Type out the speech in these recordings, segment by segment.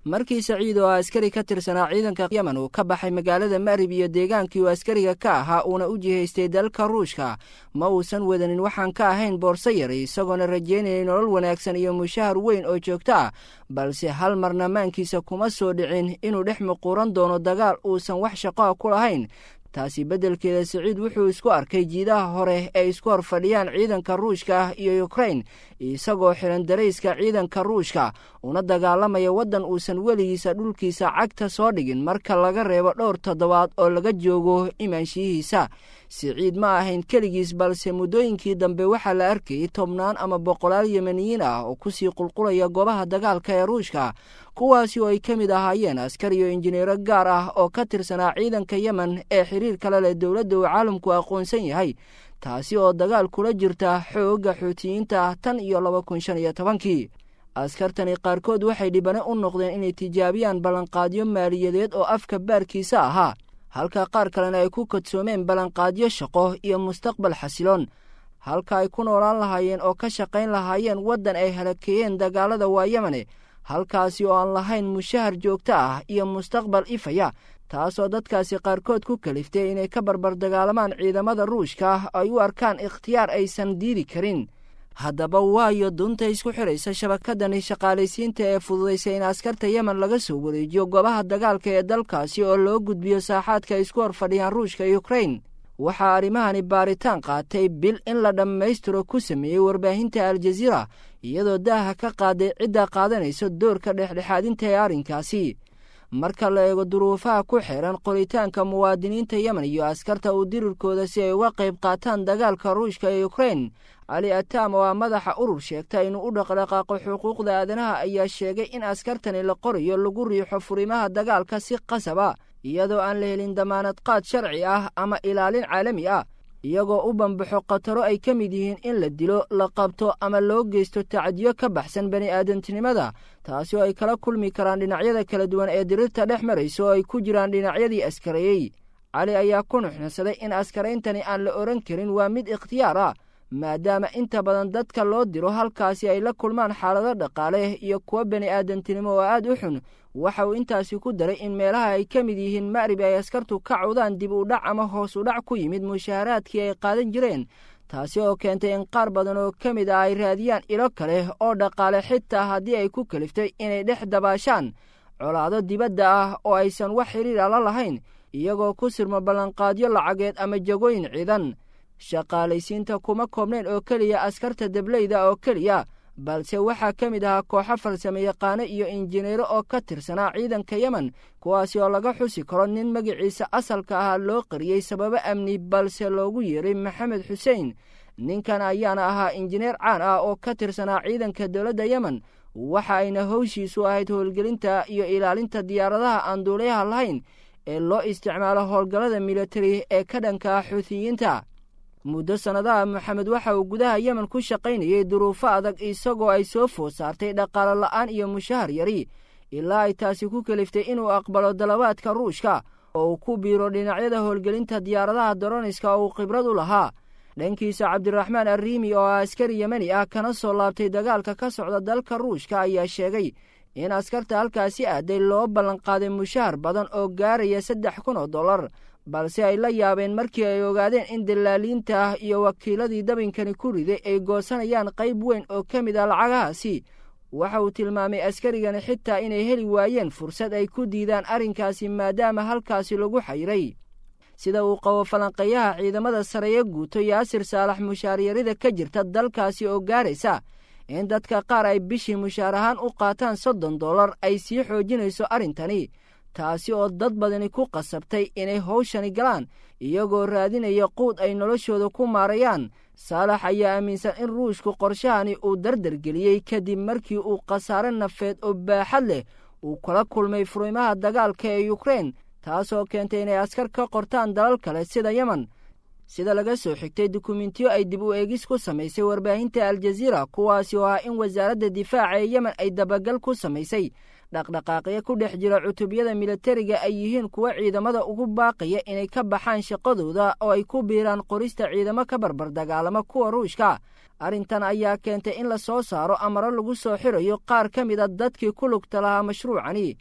Markii Saciid oo askari ka tirsanaa ciidanka Yemen uu ka baxay magaalada Ma'rib iyo deegaankii uu askariga ka ahaa uuna u jihaystay dalka Ruushka, ma uusan wadanin waxaan ka ahayn boorso yar, isagoona rajaynayay nolol wanaagsan iyo mushahar weyn oo joogto ah. Balse hal marna maankiisa kuma soo dhicin inuu dhex muquuran doono dagaal uusan wax shaqoa ku lahayn. Taasi beddelkeeda, Saciid wuxuu isku arkay jiidaha hore ee isku hor fadhiyaan ciidanka Ruushka iyo Ukrain, isagoo xiran darayska ciidanka Ruushka, una dagaalamaya waddan uusan weligiisa dhulkiisa cagta soo dhigin, marka laga reebo dhowr toddobaad oo laga joogo imaanshiyihiisa. Siciid ma ahayn keligiis, balse muddooyinkii dambe waxaa la arkayay tobnaan ama boqolaal Yemeniyiin ah oo kusii qulqulaya goobaha dagaalka ee Ruushka, kuwaasi oo ay ka mid ahaayeen askar iyo injineero gaar ah oo ka tirsanaa ciidanka Yemen ee xiriir kale leh dowladda uu caalamku aqoonsan yahay, taasi oo dagaal kula jirta xoogga Xuutiyiinta tan iyo 2015-kii. Askartani qaarkood waxay dhibane u noqdeen inay tijaabiyaan ballanqaadyo maaliyadeed oo afka baarkiisa ahaa, halka qaar kalena ay ku kadsoomeen ballanqaadyo shaqo iyo mustaqbal xasiloon, halka ay ku noolaan lahaayeen oo ka shaqayn lahaayeen waddan ay halakeeyeen dagaalada waa Yemane, halkaasi oo aan lahayn mushahar joogto ah iyo mustaqbal ifaya, taasoo dadkaasi qaarkood ku kaliftay inay ka barbar dagaalamaan ciidamada Ruushka ay u arkaan ikhtiyaar aysan diidi karin. Haddaba, waayo dunta isku xidhaysa shabakadani shaqaalaysiinta ee fududaysa in askarta Yemen laga soo wareejiyo goobaha dagaalka ee dalkaasi oo loo gudbiyo saaxaadka ay isku hor fadhiyaan Ruushka iyo Ukrain? Waxaa arrimahani baaritaan qaatay bil in la dhammaystiro ku sameeyey warbaahinta Aljaziira, iyadoo daaha ka qaaday cidda qaadanaysa doorka dhexdhexaadinta ee arrinkaasi. Marka la eego duruufaha ku xeeran qoritaanka muwaadiniinta Yemen iyo askarta uu dirirkooda si ay uga qayb qaataan dagaalka Ruushka ee Ukrain, Cali Atam oo ah madaxa urur sheegta inuu u dhaqdhaqaaqo xuquuqda aadanaha ayaa sheegay in askartani la qorayo lagu riixo furimaha dagaalka si qasaba, iyadoo aan la helin damaanad qaad sharci ah ama ilaalin caalami ah, iyagoo u bambaxo khataro ay ka mid yihiin in la dilo, la qabto ama loo geysto tacadiyo ka baxsan bani aadantinimada, taasi oo ay kala kulmi karaan dhinacyada kala duwan ee dirirta dhex maraysa oo ay ku jiraan dhinacyadii askareeyey. Cali ayaa ku nuxnansaday in askarayntani aan la odhan karin waa mid ikhtiyaar ah, maadaama inta badan dadka loo diro halkaasi ay la kulmaan xaalado dhaqaale iyo kuwo bani aadantinimo oo aad u xun. Waxa uu intaasi ku daray in meelaha ay ka mid yihiin Ma'rib ay askartu ka cawdaan dib u dhac ama hoos u dhac ku yimid mushaharaadkii ay qaadan jireen, taasi oo keentay in qaar badan oo ka mid ah ay raadiyaan ilo kale oo dhaqaale, xitaa haddii ay ku kaliftay inay dhex dabaashaan colaado dibadda ah oo aysan wax xiriira la lahayn, iyagoo ku sirmo ballanqaadyo lacageed ama jagooyin ciidan. Shaqaalaysiinta kuma koobnayn oo keliya askarta dableyda oo keliya, balse waxaa ka mid ahaa kooxo farsamo yaqaano iyo injineero oo ka tirsanaa ciidanka Yemen, kuwaasi oo laga xusi karo nin magaciisa asalka ahaa loo qariyey sababo amni, balse loogu yeeray Maxamed Xuseen. Ninkan ayaana ahaa injineer caan ah oo ka tirsanaa ciidanka dowladda Yemen, waxa ayna howshiisu ahayd howlgelinta iyo ilaalinta diyaaradaha aan duuliyaha lahayn ee loo isticmaalo howlgallada militari ee ka dhanka ah Xuutiyiinta. Muddo sannadaha, Maxamed waxa uu gudaha Yemen ku shaqaynayay duruufo adag, isagoo ay soo food saartay dhaqaalo la'aan iyo mushahar yari, ilaa ay taasi ku kaliftay inuu aqbalo dalabaadka Ruushka oo uu ku biiro dhinacyada howlgelinta diyaaradaha doroniska oo uu khibrad u lahaa. Dhankiisa, Cabdiraxmaan Arriimi oo ah askari Yemeni ah kana soo laabtay dagaalka ka socda dalka Ruushka ayaa sheegay in askarta halkaasi aaday loo ballanqaaday mushahar badan oo gaaraya $3000, balse ay la yaabeen markii ay ogaadeen in dilaaliinta ah iyo wakiiladii dabinkani ku riday ay goosanayaan qayb weyn oo ka mid ah lacagahaasi. Waxa uu tilmaamay askarigani xitaa inay heli waayeen fursad ay ku diidaan arrinkaasi, maadaama halkaasi lagu xayiray. Sida uu qabo falanqeeyaha ciidamada sareeye guuto Yaasir Saalax, mushaaryarida ka jirta dalkaasi oo gaaraysa in dadka qaar ay bishii mushaar ahaan u qaataan $30 ay sii xoojinayso arrintani, taasi oo dad badani ku qasabtay inay howshani galaan iyagoo raadinaya quud ay noloshooda ku maarayaan. Saalax ayaa aaminsan in Ruushku qorshahani uu dardargeliyey kadib markii uu khasaare nafeed oo baaxad leh uu kala kulmay furimaha dagaalka ee Ukrein, taasoo keentay inay askar ka qortaan dalal kale sida Yemen. Sida laga soo xigtay dukumentiyo ay dib u eegis ku samaysay warbaahinta Aljaziira, kuwaasi oo ah in wasaaradda difaaca ee Yemen ay dabagal ku samaysay dhaqdhaqaaqyo ku dhex jira cutubyada militariga ay yihiin kuwa ciidamada ugu baaqaya inay ka baxaan shaqadooda oo ay ku biiraan qorista ciidamo ka barbar dagaalama kuwa Ruushka. Arrintan ayaa keentay in la soo saaro amaro lagu soo xirayo qaar ka mid a dadkii ku lugta lahaa mashruucani.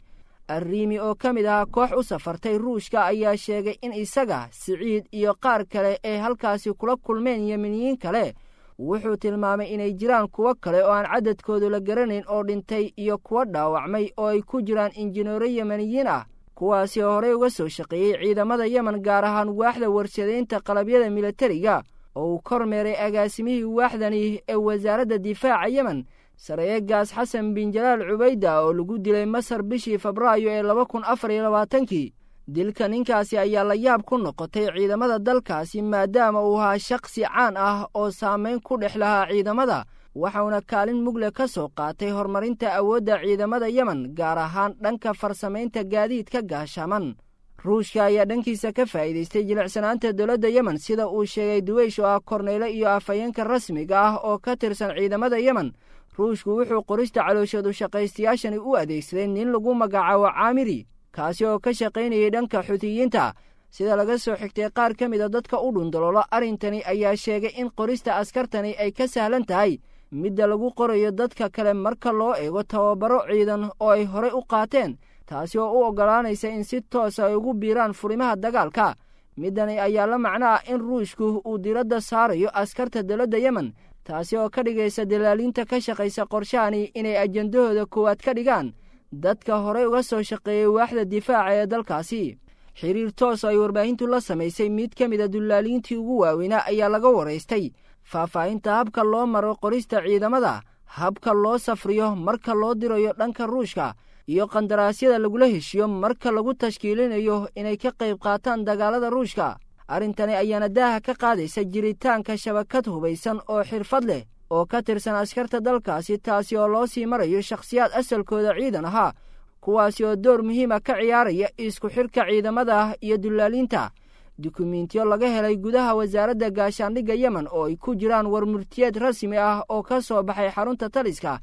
Arriimi oo ka mid ahaa koox u safartay Ruushka ayaa sheegay in isaga, Siciid iyo qaar kale ay halkaasi kula kulmeen Yemeniyiin kale. Wuxuu tilmaamay inay jiraan kuwo kale oo aan cadadkoodu la garanayn oo dhintay iyo kuwo dhaawacmay oo ay ku jiraan injineero Yemeniyiin ah, kuwaasi oo horey uga soo shaqeeyey ciidamada Yemen, gaar ahaan waaxda warshadaynta qalabyada milatariga oo uu kormeeray agaasimihii waaxdani ee wasaaradda difaaca Yemen, sareeyegaas Xasan bin Jalaal Cubayda, oo lagu dilay Masar bishii Febraayo ee 2024-kii. Dilka ninkaasi ayaa la yaab ku noqotay ciidamada dalkaasi, maadaama uu ahaa shakhsi caan ah oo saamayn ku dhex lahaa ciidamada, waxauna kaalin mugle ka soo qaatay horumarinta awoodda ciidamada Yemen, gaar ahaan dhanka farsamaynta gaadiidka gaashaman. Ruushka ayaa dhankiisa ka faa'iidaystay jilicsanaanta dowladda Yemen, sida uu sheegay Duweysh oo ah korneyle iyo afhayeenka rasmiga ah oo ka tirsan ciidamada Yemen. Ruushku wuxuu qorista calooshadu shaqaystayaashani u adeegsaday nin lagu magacaabo Caamiri, kaasi oo ka shaqaynayay dhanka Xuutiyiinta. Sida laga soo xigtay qaar ka mid a dadka u dhundaloolo arrintani ayaa sheegay in qorista askartani ay ka sahlan tahay midda lagu qorayo dadka kale marka loo eego tababaro ciidan oo ay horey u qaateen, taasi oo u oggolaanaysa in si toosa ay ugu biiraan furimaha dagaalka. Middani ayaa la macno ah in Ruushku uu diradda saarayo askarta dowladda Yemen, taasi oo ka dhigaysa dalaaliinta ka shaqaysa qorshahani inay ajandahooda koowaad ka dhigaan dadka horey uga soo shaqeeyey waaxda difaaca ee dalkaasi. Xiriir toos ay warbaahintu la samaysay mid ka mid a dullaaliintii ugu waaweynaa ayaa laga waraystay faahfaahinta habka loo maro qorista ciidamada, habka loo safriyo marka loo dirayo dhanka Ruushka, iyo qandaraasyada lagula heshiyo marka lagu tashkiilinayo inay ka qayb qaataan dagaalada Ruushka. Arrintani ayaana daaha ka qaadaysa jiritaanka shabakad hubaysan oo xirfad leh oo ka tirsan askarta dalkaasi, taasi oo loo sii marayo shakhsiyaad asalkooda ciidan ahaa, kuwaasi oo door muhiima ka ciyaaraya isku xidhka ciidamada iyo dullaaliinta. Dukumiintiyo laga helay gudaha wasaaradda gaashaandhigga Yemen oo ay ku jiraan warmurtiyeed rasmi ah oo ka soo baxay xarunta taliska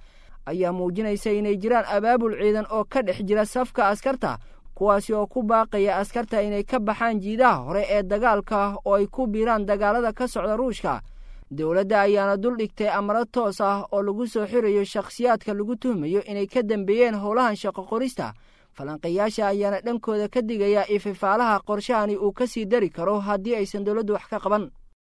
ayaa muujinaysa inay jiraan abaabul ciidan oo ka dhex jira safka askarta, kuwaasi oo ku baaqaya askarta inay ka baxaan jiidaha hore ee dagaalka oo ay ku biiraan dagaalada ka socda Ruushka. Dowladda ayaana dul dhigtay amaro toos ah oo lagu soo xirayo shakhsiyaadka lagu tuhmayo inay ka dambeeyeen howlahan shaqo qorista. Falanqayaasha ayaana dhankooda ka digaya ififaalaha qorshahani uu ka sii dari karo haddii aysan dowladdu wax ka qaban.